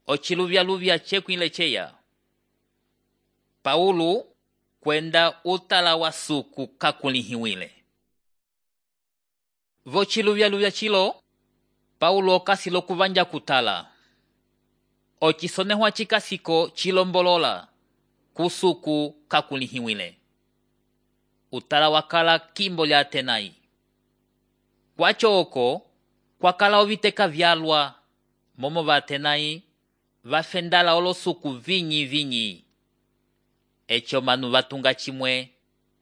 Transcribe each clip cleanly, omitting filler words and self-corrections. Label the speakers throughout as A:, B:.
A: ociluvyaluvya cekwile ceya. Paulo kwenda utala wa suku kakulihiwile. Vociluvyaluvya cilo, Paulo okasilo kuvanja kutala. Ocisonehwa cikasiko cilombolola kusuku kakulihiwile. Utala wakala kimbo lya Atenai. Kwacho oko, kwakala oviteka vyalwa, momo va Atenai, vafendala olosuku vinyi. Echo manu vatunga chimwe,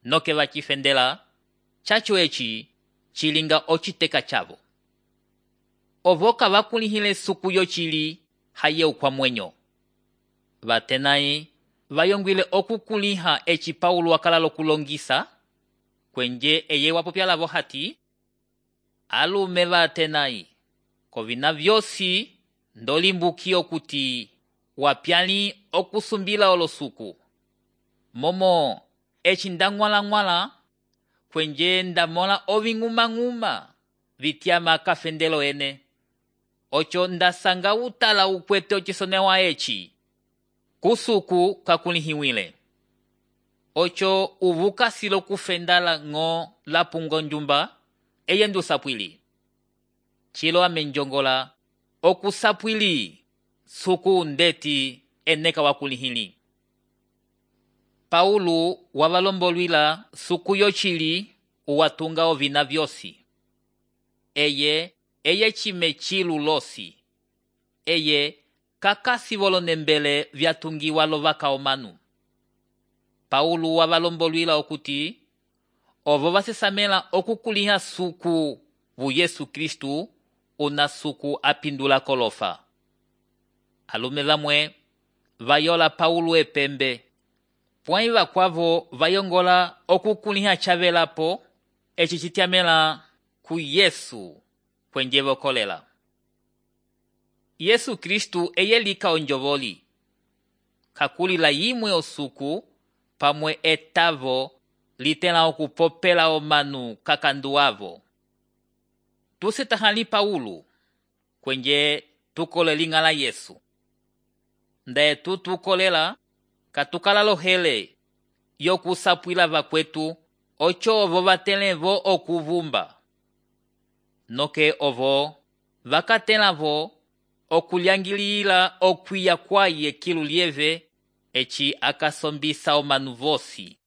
A: noke vacifendela, chacho eci, chilinga ociteka chavo. Ovoka vakulihile suku yo chili, haye ukwa mwenyo. Va Atenai, vayongwile okukuliha eci Paulo wakala lokulongisa, kwenje eye wapopyala vohati, alume va Atenai, kovina vyosi, ndolimbukio kuti, wapyali okusumbila olosuku. Momo, eci ndangwala, kwenje ndamola oving'uma vityama kafendelo ene. Ocho ndasanga utala ukwete ocisonewa eci. Kusuku kakulihiwile. Ocho uvuka silo kufendala ngo lapungo njumba, eye ndusapwili. Chilo amenjongola, okusapwili, suku ndeti eneka wakulihili. Paulo wavalombolwila suku yo chili uwatunga ovina vyosi. Eye chime chilu losi. Eye kakasi volonembele vyatungiwa lovaka omanu. Paulo wavalombolwila okuti, ovo vasesamela okukuliha suku vu Yesu Kristu una suku apindula kolofa. Alume vamwe, vayola Paulo epembe. Pwai vakwavo vayongola okukuliha chavelapo, eci citiamela ku Yesu kwenje vokolela. Yesu Kristu eye lika onjovoli. Kakulila yimwe osuku, pamwe etavo litela okupopela omanu kakanduavo. Tusetahali Paulo, kwenje tukole lingala Yesu. Ndae tukolela, katukala lohele, yokusapwila vakwetu, ocho ovo vatelevo okuvumba. Noke ovo, vakatelavo, okulyangilila okwiya kwaye kilu lieve, eci akasombisa omanu vosi.